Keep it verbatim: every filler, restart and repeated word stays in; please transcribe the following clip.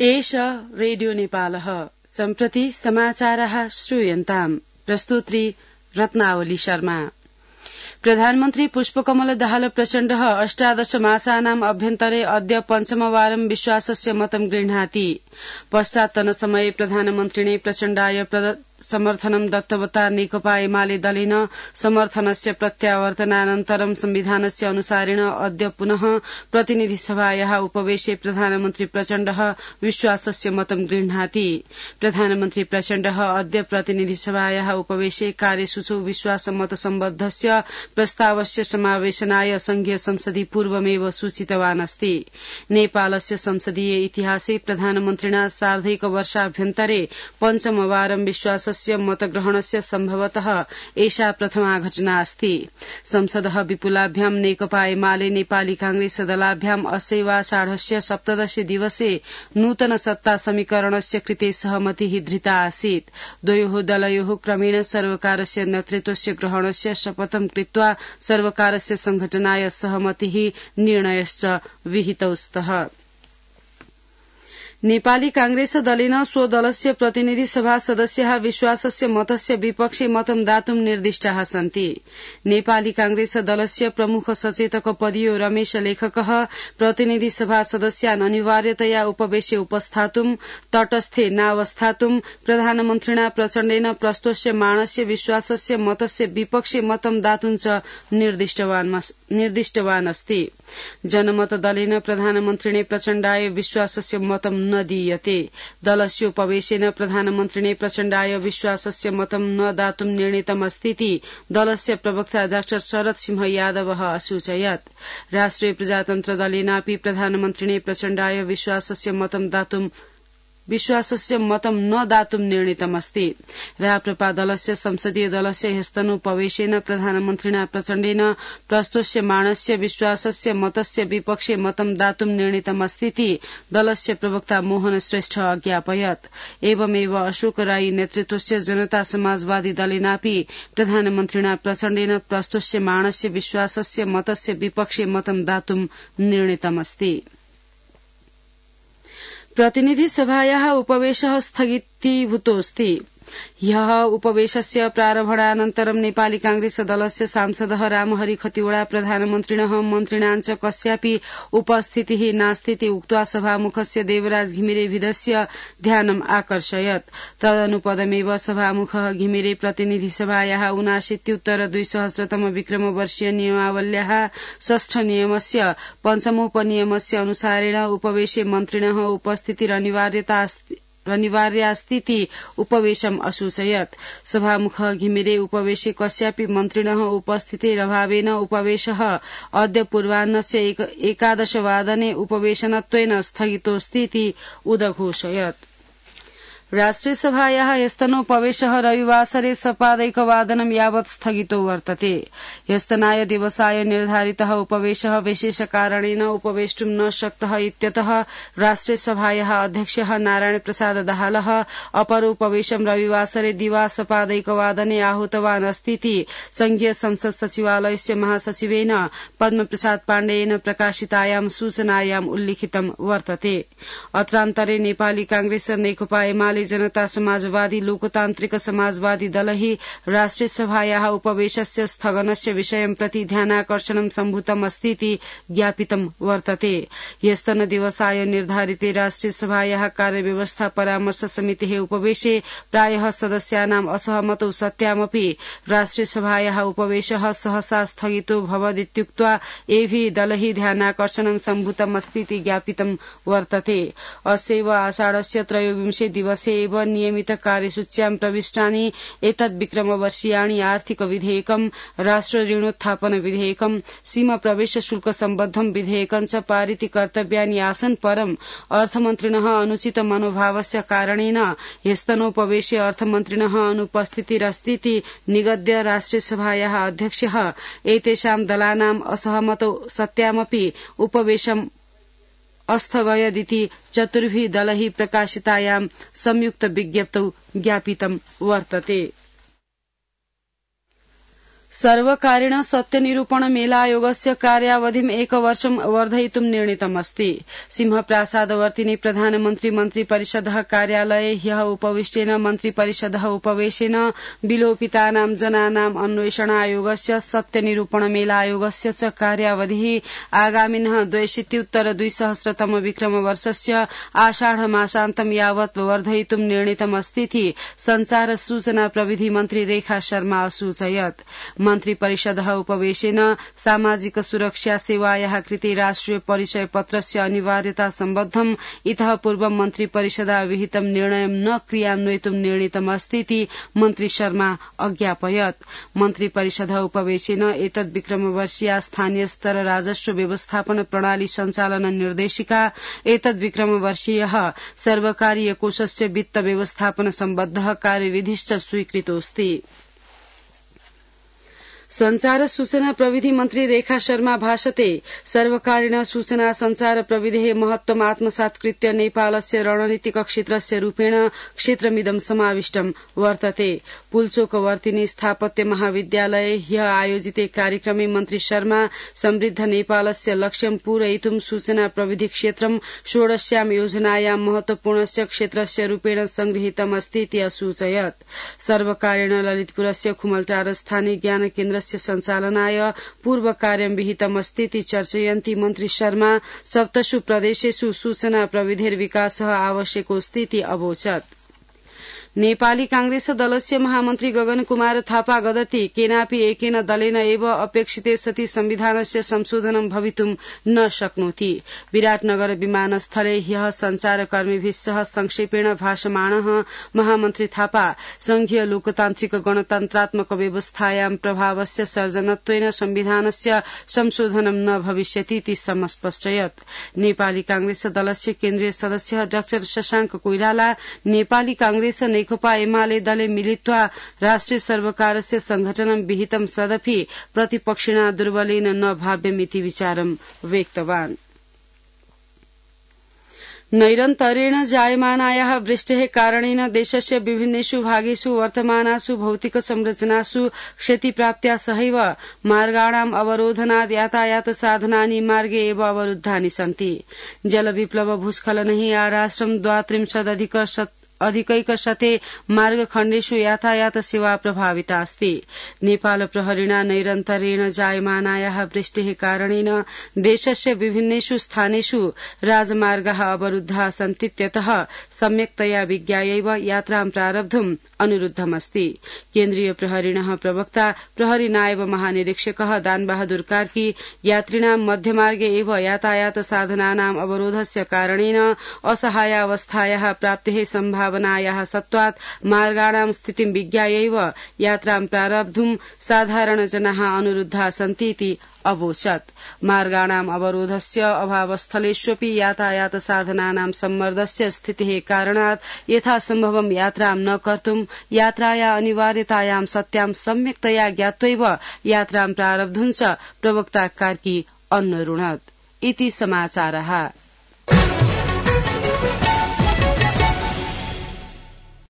एष रेडियो नेपालः सम्प्रति समाचारः श्रूयन्ताम् प्रस्तुत्री रत्नावली शर्मा। प्रधानमन्त्री पुष्पकमल दाहाल प्रचण्डः अष्टादश मासानाम् अभ्यन्तरे अद्य पञ्चमवारं विश्वासस्य मतं गृह्णाति। पश्चात्तन समये प्रधानमन्त्रिणे प्रचण्डाय समर्थनं दत्तवता नेकपा एमाले दलेन समर्थनस्य प्रत्यावर्तनानन्तरं संविधानस्य अनुसारेण अद्य पुनः प्रतिनिधि सभायाः उपवेशे प्रधानमन्त्री प्रचण्डः विश्वासस्य मतं गृह्णाति। प्रधानमन्त्री प्रचण्डः अद्य प्रतिनिधि सभायाः उपवेशे कार्यसूचौ विश्वासमत सम्बद्धस्य प्रस्तावस्य समावेशनाय संघीय संसदि पूर्वमेव सूचितवान् अस्ति। नेपालस्य संसदीय इतिहासे प्रधानमन्त्रिणा सार्धैक वर्षाभ्यन्तरे पञ्चमवारं विश्वास मतग्रहणस्य सम्भवतः एषा प्रथमा घटना अस्ति। संसदः विपुलाभ्यां नेकपा एमाले नेपाली कांग्रेस दलाभ्याम् अस्यैवाषाढस्य सप्तदश दिवसे नूतन सत्ता समीकरणस्य कृते सहमतिः धृता आसीत्। द्वयोः दलयोः क्रमेण सर्वकारस्य नेतृत्वस्य ग्रहणस्य शपथं कृत्वा सर्वकारस्य संघटनाय सहमतिः निर्णयश्च विहितौ स्तः। नेपाली कांग्रेस दलेन स्वदलस्य प्रतिनिधि सभा सदस्याः विश्वासस्य मतस्य विपक्षे मतं दातुं निर्दिष्टाः सन्ति। नेपाली कांग्रेस दलस्य प्रमुख सचेतक पदीयो रमेश लेखकः प्रतिनिधि सभा सदस्यान् अनिवार्यतया उपवेशे उपस्थातुं तटस्थे नावस्थातुं प्रधानमन्त्रिणा प्रचण्डेन प्रस्तोष्यमाणस्य विश्वासस्य मतस्य विपक्षे मतं दातुं च निर्दिष्टवान् अस्ति। जनमत दलेन प्रधानमन्त्रिणे प्रचण्डाय विश्वासस्य मतं न दीयते। दलस्योपवेशेन प्रधानमन्त्रिणे प्रचण्डाय विश्वासस्य मतं न दातुं निर्णीतमस्तीति दलस्य प्रवक्ता डाक्टर शरद सिंह यादवः असूचयत्। राष्ट्रिय प्रजातन्त्र दलेनापि प्रधानमन्त्रिणे प्रचण्डाय विश्वासस्य मतं दातुं विश्वासस्य मतं न दातुं निर्णीतमस्ति। राप्रपा दलस्य संसदीय दलस्य ह्यस्तनोपवेशेन प्रधानमन्त्रिणा प्रचण्डेन प्रस्तोष्यमाणस्य विश्वासस्य मतस्य विपक्षे मतं दातुं निर्णीतमस्तीति दलस्य प्रवक्ता मोहन श्रेष्ठ अज्ञापयत्। एवमेव अशोक राई नेतृत्वस्य जनता समाजवादी दलेनापि प्रधानमन्त्रिणा प्रचण्डेन प्रस्तोष्यमाणस्य विश्वासस्य मतस्य विपक्षे मतं दातुं निर्णीतमस्ति। प्रतिनिधि सभायाः उपवेशः स्थगितीभूतोऽस्ति। ह्यः उपवेशस्य प्रारम्भानन्तरं नेपाली कांग्रेस दलस्य सांसदः रामहरि खतिवड़ा प्रधानमन्त्रिणः मन्त्रिणाञ्च कस्यापि उपस्थितिः नास्तीति उक्त्वा सभामुखस्य देवराज घिमिरेभिदस्य ध्यानम् आकर्षयत्। तदनुपदमेव सभामुखः घिमिरे प्रतिनिधि सभायाः ऊनाशीत्युत्तर द्विसहस्रतम विक्रमवर्षीय नियमावल्याः षष्ठ नियमस्य पञ्चमोपनियमस्य अनुसारेण उपवेशे मन्त्रिणः उपस्थितिरनिवार्यता अनिवार्यास्तीति उपवेशम् असूचयत्। सभामुखः घिमिरे उपवेशे कस्यापि मन्त्रिणः उपस्थितेरभावेन उपवेशः अद्य पूर्वाह्नस्य एक, एकादशवादने उपवेशनत्वेन स्थगितोऽस्तीति उदघोषयत्। राष्ट्रिय सभायाः ह्यस्तनोपवेशः रविवासरे सपादैकवादनं यावत् स्थगितो वर्तते। ह्यस्तनाय दिवसाय निर्धारितः उपवेशः विशेषकारणेन उपवेष्टुं न शक्तः इत्यतः राष्ट्रिय सभायाः अध्यक्षः नारायण प्रसाद दाहालः अपरोपवेशं रविवासरे दिवा सपादैकवादने आहूतवान् अस्तीति संघीय संसद सचिवालयस्य महासचिवेन पद्मप्रसाद पाण्डेयेन प्रकाशितायां सूचनायाम् उल्लिखितं वर्तते। अत्रान्तरे नेपाली कांग्रेस नेकपा एमाले जनता समाजवादी लोकतान्त्रिक समाजवादी दलैः राष्ट्रिय सभायाः उपवेशस्य स्थगनस्य विषयं प्रति ध्यानाकर्षणं सम्भूतमस्तीति ज्ञापितं वर्तते। ह्यस्तन दिवसाय निर्धारिते राष्ट्रिय सभायाः कार्यव्यवस्था परामर्श समितेः उपवेशे प्रायः सदस्यानाम् असहमतौ सत्यामपि राष्ट्रिय सभायाः उपवेशः सहसा स्थगितो भवदित्युक्त्वा एभिः दलैः ध्यानाकर्षणं सम्भूतमस्तीति ज्ञापितं वर्तते। अस्यैव आषाढस्य त्रयोविंशे दिवसे एव नियमित कार्यसूच्यां प्रविष्टानि एतद् विक्रमवर्षीयाणि आर्थिक विधेयकं राष्ट्र ऋणोत्थापन विधेयकं सीमा प्रवेश शुल्क सम्बद्धं विधेयकं च पारिति कर्तव्यानि आसन् परम् अर्थमन्त्रिणः अनुचित मनोभावस्य कारणेन ह्यस्तनोपवेशे अर्थमन्त्रिणः अनुपस्थितिरस्तीति निगद्य राष्ट्रिय सभायाः अध्यक्षः एतेषां दलानाम् असहमतौ सत्यामपि उपवेशम् अस्थगयदिति चतुर्भिः दलैः प्रकाशितायां संयुक्त विज्ञप्तौ ज्ञापितं वर्तते। सर्वकारेण सत्यनिरूपण मेलायोगस्य कार्यावधिम् एकवर्षं वर्धयितुं निर्णीतमस्ति। सिंहप्रासादवर्तिनि प्रधानमन्त्री मन्त्रिपरिषदः कार्यालये ह्यः उपविष्टेन मन्त्रिपरिषदः उपवेशेन विलोपितानां जनानाम् अन्वेषणायोगस्य सत्यनिरूपण मेलायोगस्य च कार्यावधिः आगामिनः द्वयशीत्युत्तर द्विसहस्रतम विक्रमवर्षस्य आषाढमासान्तं यावत् वर्धयितुं निर्णीतमस्तीति संचार सूचना प्रविधि मन्त्री रेखा शर्मा असूचयत्। मन्त्रिपरिषदः उपवेशेन सामाजिक सुरक्षा सेवायाः कृते राष्ट्रिय परिचय पत्रस्य अनिवार्यता सम्बद्धम् इतः पूर्वं मन्त्रिपरिषदा विहितं निर्णयं न क्रियान्वयितुं निर्णीतमस्तीति मन्त्री शर्मा अज्ञापयत्। मन्त्रिपरिषदः उपवेशेन एतद् विक्रमवर्षीया स्थानीय स्तर राजस्व व्यवस्थापन प्रणाली सञ्चालन निर्देशिका एतद् विक्रमवर्षीयः सर्वकारीय कोषस्य वित्त व्यवस्थापन सम्बद्धः कार्यविधिश्च स्वीकृतोऽस्ति। संचार सूचना प्रविधि मन्त्री रेखा शर्मा भाषते सर्वकारेण सूचना संचार प्रविधेः महत्त्वम् आत्मसात्कृत्य नेपालस्य रणनीतिक क्षेत्रस्य रूपेण क्षेत्रमिदं समाविष्टं वर्तते। पुल्चोकवर्तिनि स्थापत्य महाविद्यालये ह्यः आयोजिते कार्यक्रमे मन्त्री शर्मा समृद्ध नेपालस्य लक्ष्यं पूरयितुं सूचना प्रविधि क्षेत्रं षोडश्यां योजनायां महत्वपूर्णस्य क्षेत्रस्य रूपेण संगृहीतमस्तीति असूचयत्। सर्वकारेण ललितपुरस्य खुमलटार स्थानीय ज्ञान केन्द्र सञ्चालनाय पूर्व कार्यं विहितमस्तीति चर्चयन्ती मन्त्री शर्मा सप्तसु प्रदेशेषु सूचना प्रविधेर्विकासः आवश्यकोऽस्तीति अवोचत्। नेपाली कांग्रेस दलस्य महामन्त्री गगन कुमार थापा गदति केनापि एकेन दलेन एव अपेक्षिते सति संविधानस्य संशोधनं भवितुं न शक्नोति। विराटनगर विमानस्थले ह्यः संचारकर्मीभिः सह संक्षेपेण भाषमाणः महामन्त्री थापा संघीय लोकतान्त्रिक गणतन्त्रात्मक व्यवस्थायां प्रभावस्य सर्जनत्वेन संविधानस्य संशोधनं न भविष्यतीति समस्पष्टयत्। नेपाली कांग्रेस दलस्य केन्द्रीय सदस्य डाक्टर शशांक कोइराला नेपाली कांग्रेस नेकपा एमाले दले मिलित्वा राष्ट्रिय सर्वकारस्य संघटनं विहितं सदपि प्रतिपक्षिणा दुर्बलेन न भाव्यमिति विचारं व्यक्तवान्। नैरन्तर्येण जायमानायाः वृष्टेः कारणेन देशस्य विभिन्नेषु भागेषु वर्तमानासु भौतिक संरचनासु क्षतिप्राप्त्या सहैव मार्गाणाम् अवरोधनात् यातायात साधनानि मार्गे एव अवरुद्धानि सन्ति। जलविप्लव भूस्खलनैः आराष्ट्रं द्वात्रिंशदधिक अधिकैकशते मार्गखण्डेषु यातायात सेवा प्रभाविता अस्ति। नेपाल प्रहरिणा नैरन्तर्येण जायमानायाः वृष्टेः कारणेन देशस्य विभिन्नेषु स्थानेषु राजमार्गाः अवरुद्धाः सन्तीत्यतः सम्यक्तया विज्ञायैव यात्रां प्रारब्धुम् अनुरुद्धमस्ति। केन्द्रीय प्रहरिणः प्रवक्ता प्रहरी नायब महानिरीक्षकः दानबहादुर कार्की यात्रिणां मध्यमार्गे एव यातायात साधनानाम् अवरोधस्य कारणेन असहायावस्थायाः प्राप्तेः सम्भावनायाः सत्त्वात् मार्गाणां स्थितिं विज्ञायैव यात्रां प्रारब्धुं साधारण जनाः अनुरुद्धाः सन्तीति अवोचत्। मार्गाणाम् अवरोधस्य अभावस्थलेष्वपि यातायात साधनानां सम्मर्दस्य स्थितेः कारणात् यथासम्भवं यात्रां न कर्तुं यात्राया अनिवार्यतायां सत्यां सम्यक्तया ज्ञात्वैव यात्रां प्रारब्धुं च प्रवक्ता कार्की अन्नरुणत्। इति समाचारः।